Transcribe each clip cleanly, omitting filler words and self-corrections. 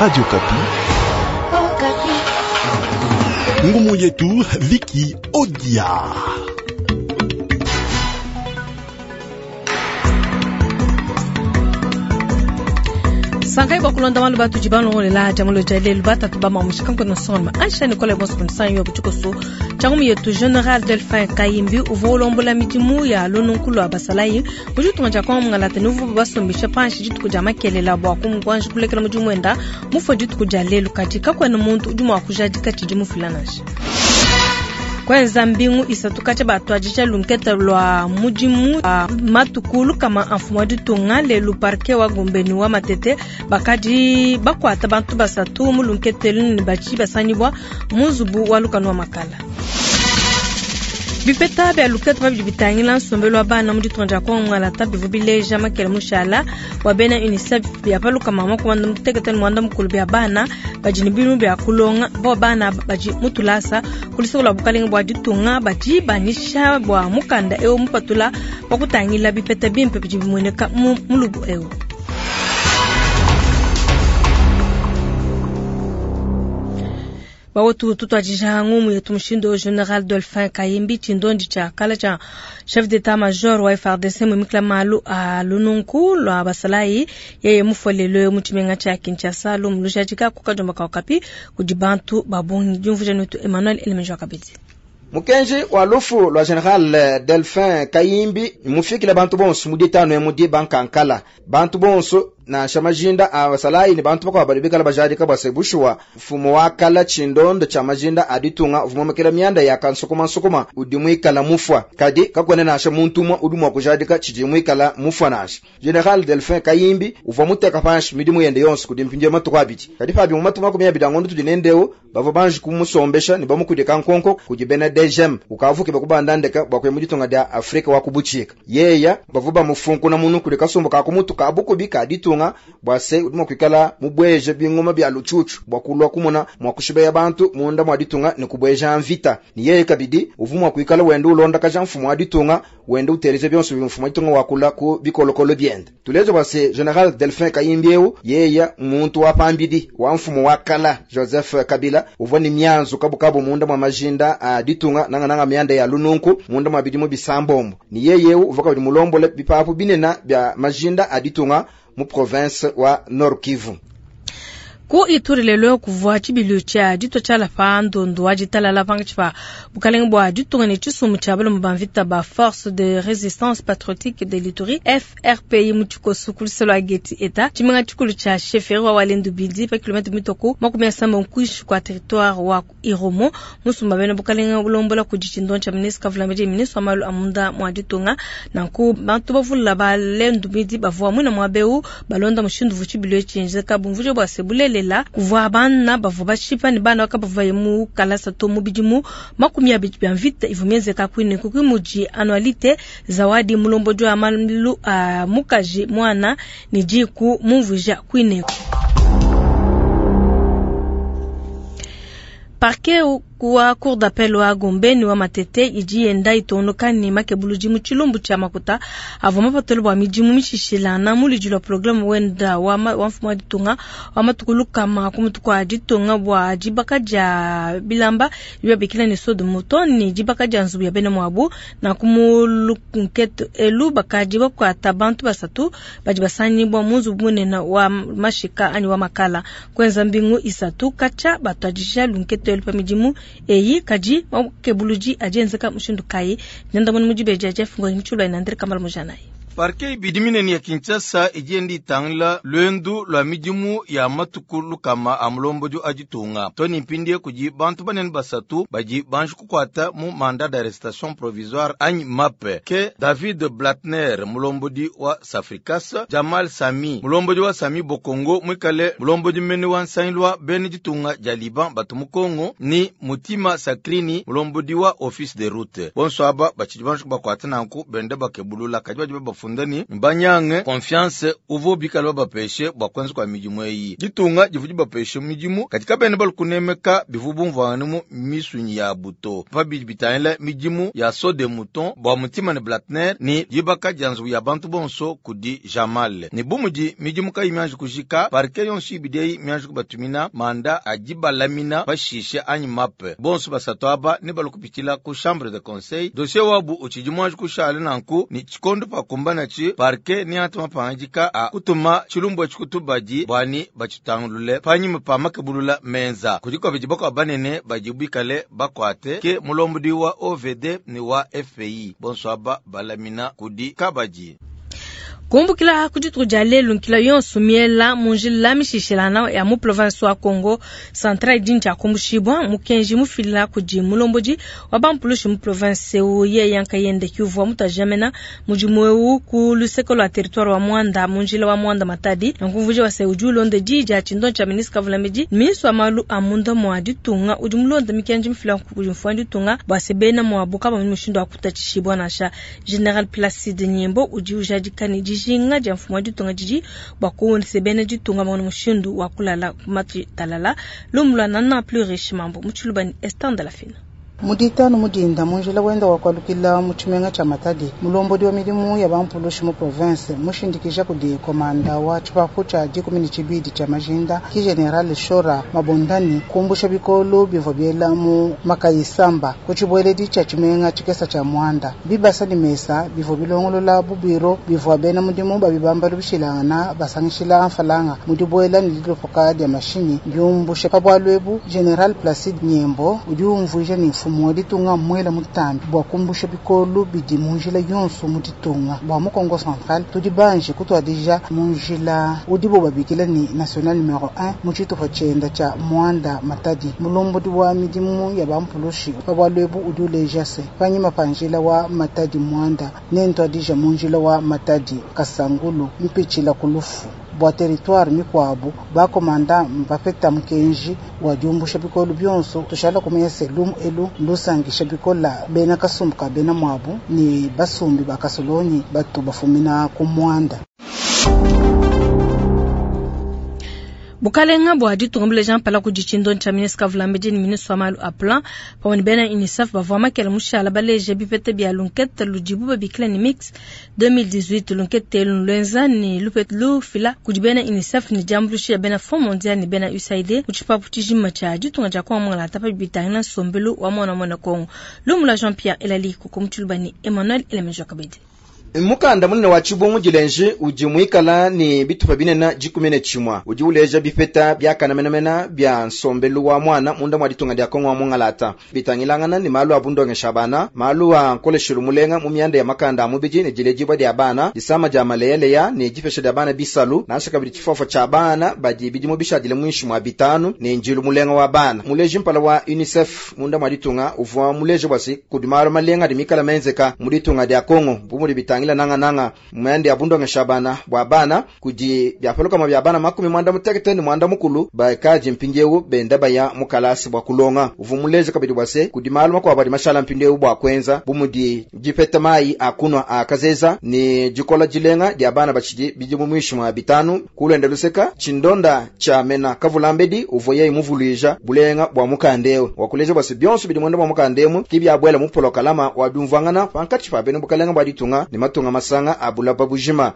Radio Okapi. Ngumu yetu Viki Odia. Sankai bua kulonda malu batudi balongolela jamulo dia lelu batatu ba mamushika nkona nsonga ansha Nicole bonso kunsanyo ya butshikoso tshiangumu yetu General Delphin Kayimbi uvua ulombola midimu ya lununku lua basalayi mu ditunga dia Kongo mungalata ne uvua basombesha panshi dituku dia makelela bua kumuanji kulekela mudimu wenda mufue dituku dia lelu, kadi kakuena muntu udi mua kujadika tshidi mufila nansha. Kwenza mbingu isatu katshia batuadija lunketa lua mudimu wa matuku lukama a mfumu wa ditunga lelu parquet wa Gombe ne wa Matete bakadi bakuata bantu basatu mu lunketa elu ne batshi basangibua mu nzubu wa lukanu wa makala. Bipeta bia luketa pa bidi bitangila nsombelu wa bana mu ditunga dia Kongo Ngalata bivua bileja makela mushala wa bena UNICEF bia pa 68 bia bana badi ne bidimu bia kulonga bo bana badi mu tulasa ku luseke lua bukalenge bua ditunga badi banyisha bua mukanda eu mupatula pa kutangila bipeta bimpe bidi bimueneka mu mulubu eu. Bawetu tutuadija ngumu yetu mushindu General Dolphin Kayimbi tshindondi tshia kala tshia chef d'état major wa FARDC mumikila malu a lununku lua basalayi yeye mufolelwe mu tshimenga tshia Kinshasa lumu lujadika ku kadiomba ka Okapi kudi bantu ba bungi. Diumvuija netu Emmanuel Elemejo kabidi. Mukenji wa lufu lua General Delphin Kayimbi mufikile bantu bonso mu ditanu emu di bankankala bantu bonso nansha majinda a basalayi ne bantu bakuabu badi bikala bajadika bua se bushuwa mfumu wa kala tshindondo tshia majinda a ditunga uvua mumekela mianda ya kansukumansukuma udi muikala mufua, kadi kakuena nansha muntu umue udi mua kujadika tshidi muikala mufua nansha. General Delphin Kayimbi uvua muteka panshi midimu yende yonso kudi mpindieu matuku abidi, kadi pabi mu matuku 20 a ngondo tudi nendeu bavua banji kumusombesha ne bamukudika nkonko kudi bena DGM ukavuke bakubandandeka bua kuya mu ditunga dia Afrika wa kubuchika. Yeya bavua bamufunkuna munu kudi kasumbu ka kumutu ka bukubi ka ditunga bua se udi mua kuikala mubweje bingoma bia lutshutshu bua kulua kumona mua kushibeya bantu munda mua ditunga ne kubweja mvita. Ni yeye kabidi uvua mua kuikala wenda ulondakaja mfumu wa ditunga wenda uteleza bionso bia mfumu wa ditunga wakula ku bikolokolo biende. Tuleje bua se General Delphin Kayimbi eu yeya muntu wa pambidi wa mfumu wa kala Joseph Kabila uvua ni mianzu kabukabu munda mwa majinda a ditunga nanga nanga mianda ya lununku munda mwa bidimu bisambombo. Ni yeye eu uvua kabidi mulombole bipapu binena bia majinda a ditunga mu province wa Nord Kivu. Ku Ituri lelo kuvua tshibilu tshia ditua tshiala pa ndondu wa ditalala pankatshi pa bukalenge bua ditunga ne tshisumbu tshia balume ba mvita ba Force de Resistance Patriotique de l'Ituri FRPI mu tshikoso ku luse lua Geti Eta tshimenga tshikulu tshia chefferie wa Walendu Bindi pa kilomètre mitoko 70 kuinshi kua territoire wa Irumu. Musumba bena bukalenge bulombola kudi tshindondi tshia ministre Kavulambedi ministre wa malu a munda mua ditunga. Nanku bantu bavula balendu bidi bavua mwina muaba eu balonda mushindu uvua tshibilu etshi tshienzeka bumvuija bua se bulelela kuvua bana bavua bashipa ne bana bakabavaye mu kalasa to mu bidimu 20 bia mvita ivua mienzeka kuine kuki mudi annualité zawadi mulombodi wa malu a mukaji mwana ne diku mumvuija kuineku. Parquet wa cour d'appel wa Gombe ni wa Matete idi yenda itondoka ni makebuludi mu tshilumbu tshia makuta avua mapatule bua midimu mishishilana mu ludi lua programme wenda wa mfumu wa ditunga wa matuku lukama ku mutu kua ditunga bua dibaka dia bilamba bibabikila ne saut de mouton ni dibaka dia nzubu ya bena muabu. Na ku mu lunkete elu bakadi bakuata bantu basatu badi basangibua mu nzubu munene wa mashika anyi wa makala kwenza mbingu isatu katshia batuadija lunkete elu pa midimu eyi kadi makebuludi adi enzeka mushindu kayi. Nyanda muni mudibeji Jeff Ngoi Mutshulwa ina Andre Kamala Mujanayi. Parquet ibidi minene ya Kinshasa idi yenda itangila lwendu lua midimu ya matuku lukama a mulombodi wa ditunga. Tony Mpindie kudi bantu banene basatu badi banji kukuata mu mandat d'arrestation provisoire anyi MAP ke David Blatner mulombodi wa Safricas, Jamal Sami mulombodi wa Sami Bokongo mwikale mulombodi mene wa nsangilu wa bena ditunga dia Liban batu mu Kongo ni Mutima Sakrini mulombodi wa Office de Route. Bonso aba batshidi banji kubakuata nanku bende bakebulula kadi badi babafunda bafunda ne, mbanyange confiance uvua bikale babapeshe bua kuenza kua midimu eyi. Ditunga divua dibapeshe midimu, kadi kabena balue kunemeka bivua bumvuangane mu misunyi yabu to. Pa bidi bitangila midimu ya saut de mouton bua Mutima ne Blatner ne dibaka dia nzubu ya bantu bonso kudi Jamal, ne bu mudi midimu kayi mianji kujika, parquet yonso ibidi eyi mianji kubatumina manda a dibalamina pashishe anyi mape. Bonso basatu aba nebalue kupitshila ku chambre de conseil. Dossier wabu utshidi muanji kushala nanku, ne tshikondo pakumbanatshi parquet neate mapangadika a kutuma tshilumbu etshi ku tubadi bua ne batshitangulule panyima pa makebulula menza. Kudi kabidi bakuabu banene badi bikale bakuate, ke mulombodi wa OVD ne wa FPI, bonso aba balamina kudi kabadi. Kumbukila ku dituku dia lelu, nkila yonso miela mu njila mishishilana ya mu province wa Kongo Central idi ne tshia kumbushibua. Mukenji mufila kudi mulombodi wa bampulushi mu province eu, yeye nkayende ke uvua mutuajamena mudimu eu ku luseke lua territoire wa Muanda mu njila wa Muanda Matadi. Nanku mvuija wa se udi ulonda diyi dia tshindo tshia ministre Kavulambedi, ministre wa malu a munda mua ditunga udi mulonda mikenji mifila kudi mfumu wa ditunga bua se bena muabu kabamonyi mushindu wa kutatshishibua nansha. General Placide Nyembo udi ujadika ne dijinga dia mfumu wa ditunga didi bua kuwonse bena ditunga bamone mushindu wa kulala ku matshi talala. Lumu lua Nana plus riche mambo mu Tshiluba ne Esther Ndalafina. Mu ditanu mu dinda mu njila wenda wa kualukila mu tshimenga tshia Matadi, mulombodi wa midimu ya bampulushi mu province mushindikija kudi komanda wa tshipapu tshia dikumi ne tshibidi tshia majinda ki General Shora Mabondani kumbusha bikolo bivua biela mu makayisamba ku tshibueledi tshia tshimenga tshikesa tshia Muanda. Bibasa ne mesa bivua bilongolola bu biro bivua bena mudimu ba bibambalu bishilangana basangishila mfalanga mu dibuela ne dilopoka dia mashinyi biumbushe. Pa bualu ebu General Placide Nyembo udi umvuija ne mfumu wa ditunga mwela mutambi bua kumbusha bikolo bidi mu njila yonso mu ditunga. Bua mu Kongo Central tudi banji kutuadija mu njila udibo babikila ne national numero 1 mu tshitupa tshienda tshia Muanda Matadi. Mulombodi wa midimu ya bampulushi pa bualu ebu udi uleja se panyima pa njila wa Matadi Muanda nentuadija mu njila wa Matadi Kasangulu mpitshila ku lufu. Bua territoire mikuabu bakomanda mbapeta mukenji wa diumbusha bikolo bionso. Tushala kumanya se lumu elu lusangisha bikola bena kasumbu ka bena muabu ne basumbi ba kasolonyi batu bafumina ku Muanda. Bukalenga bua ditunga buleja mpala kudi tshindo tshia ministre Kavulambedi ne ministre wa malu a plan pamue ne bena UNICEF bavua makela mushala baleje bipeta bia lunkete ludibu babikila ne mix 2018. Lunkete elu luenza ne lupeta lufila kudi bena UNICEF ne diambuluisha ya bena Fonds mondial ne bena USAID mu tshipapu tshijima tshia ditunga dia Kongo Mongala pa bitangila nsombelu wa mwana mwana Kongo. Lumu lua Jean-Pierre Elali Koko mu Tshiluba ne Emmanuel Elemejo Kabedi. Mukanda munene wa tshibungu dilenji udi muikala ne bitupa binene dikumi ne tshimue udi uleja bipeta biakanamenamena bia nsombelu wa mwana munda mwa ditunga dia Kongo wa mungalata bitangilangana ne malu a bundongesha bana, malu a nkoleshelu mulenga mu mianda ya makanda a mubidi ne diledibua dia bana, disama dia maleyaleya ne dipesha dia bana bisalu, nansha kabidi tshifofo tshia bana badi bidimu bishadile muinshi mwa bitanu ne njilu mulenga wa bana. Muleji mpala wa UNICEF munda mwa ditunga uvua muleje bua se kudi malu malenga adi mikala menzeka mu ditunga dia Kongo bu mudi bitangila nanga nanga mwende ya bundongesha bana bua bana kudi byapaluka bya bana makumi mwanda mutekete ne mwanda mukulu bakaji mpindiewu benda baya mu kalasi bua kulonga. Uvua muleje kabidi bua se kudi malu makuabu adi mashala mpindiewu bua kuenza bu mudi dipeta mayi a kunwa a kazeza ne dikola dilenga dia bana batshidi bidimu muinshi mwa bitanu. Kulwenda luseka tshindonda tshia mena Kavulambedi uvua yeye muvuluija bulenga bua mukandeu wakuleja bua se bionso bidi mwenda bua mukandemu ki byabuela mu polokalama wa byumvuangana pankatshi pa bena bukalenga bua ditunga ne matunga masanga a bulaba bujima.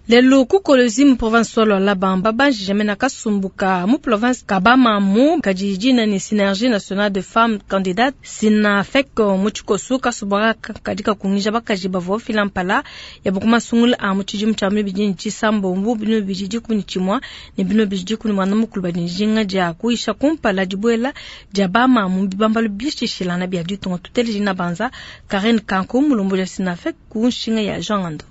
Lelu ku Kolwezi mu province wa Lualaba babanjije mena kasumbu ka mu province ka Bamamu kadi dina ne Synergie nationale de femmes candidates Synafec mu tshikoso kasumbu aka kadi kakungija bakaji bavua bafila mpala ya bukumasungula a mu tshidimu tshia bibidi ne tshisambombo bino bibidi dikumi ne tshimue ne bino bibidi dikumi ne muanda mukulu badi njinga dia kuyisha kumpala dibuela dia Bamamu bibambalu bishishilana bia ditunga. Tuteleji na banza Karen Kanko mulombo ya Synafec ku nshinga ya Jean Ngando.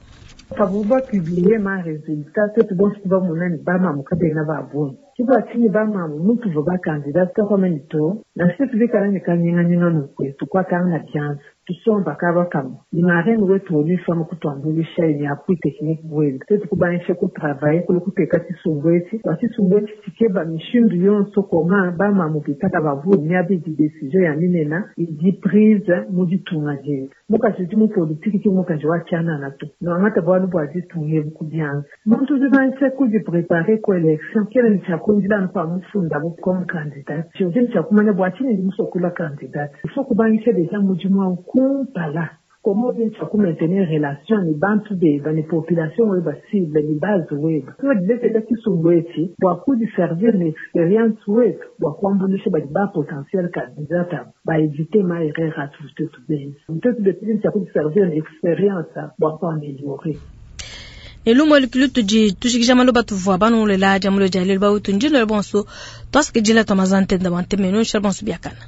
Pavua publier ma résultat twetu bonso bamona ne bamamu kabena ba bungi tshibua tshinyi bamamu mutu va bacandidat tokomeni to nansha tubikala ne kanyinganyinga nukwe tukwatanga na byanza tusomba kaba kamwe ni marraine wetu ONU Femmes kutuambulisha ni appui technique bwenu twetu kubanisha kutravailler kule kuteka tshisumbu etshi bua tshisumbu etshi tshikeba mishindu yonso koma bamamu bitaka bavuni miaba idi décision ya minena idi prise mu ditunga dietu. Mukaji udi mu politiki ki mmukaji wa tshianana to. Nuangate bualu bua ditunga ebu ku bianza. Muntu udi ubangisha kudiprepare ku election kena ne tshia kuindila anu pamufundabu comme candidat. Udi ne tshia kumanya bua tshinyi ndi musue kulua candidat. Il faut kubangisha deja mudimu au kumpala. Comment udi ne tshia ku maintenir relation ne bantu beba ne population weba cible ne base weba. Tudi dilekela tshisumbu etshi bua kudiservir ne experience wetu bua kuambuluisha badi ba potentiel candidat abu ba eviter ma erreur atuvua tuetu benza. Tuetu betu tudi ne tshia kudiservir ne experience bua kuameliorer. Ne lumu elu lutudi tujikija maloba tuvua banungulela dia mulo dia lelu bawetu ndino bonso twasakidila twa mazantenda bua ntemenu nshala bonso biakana.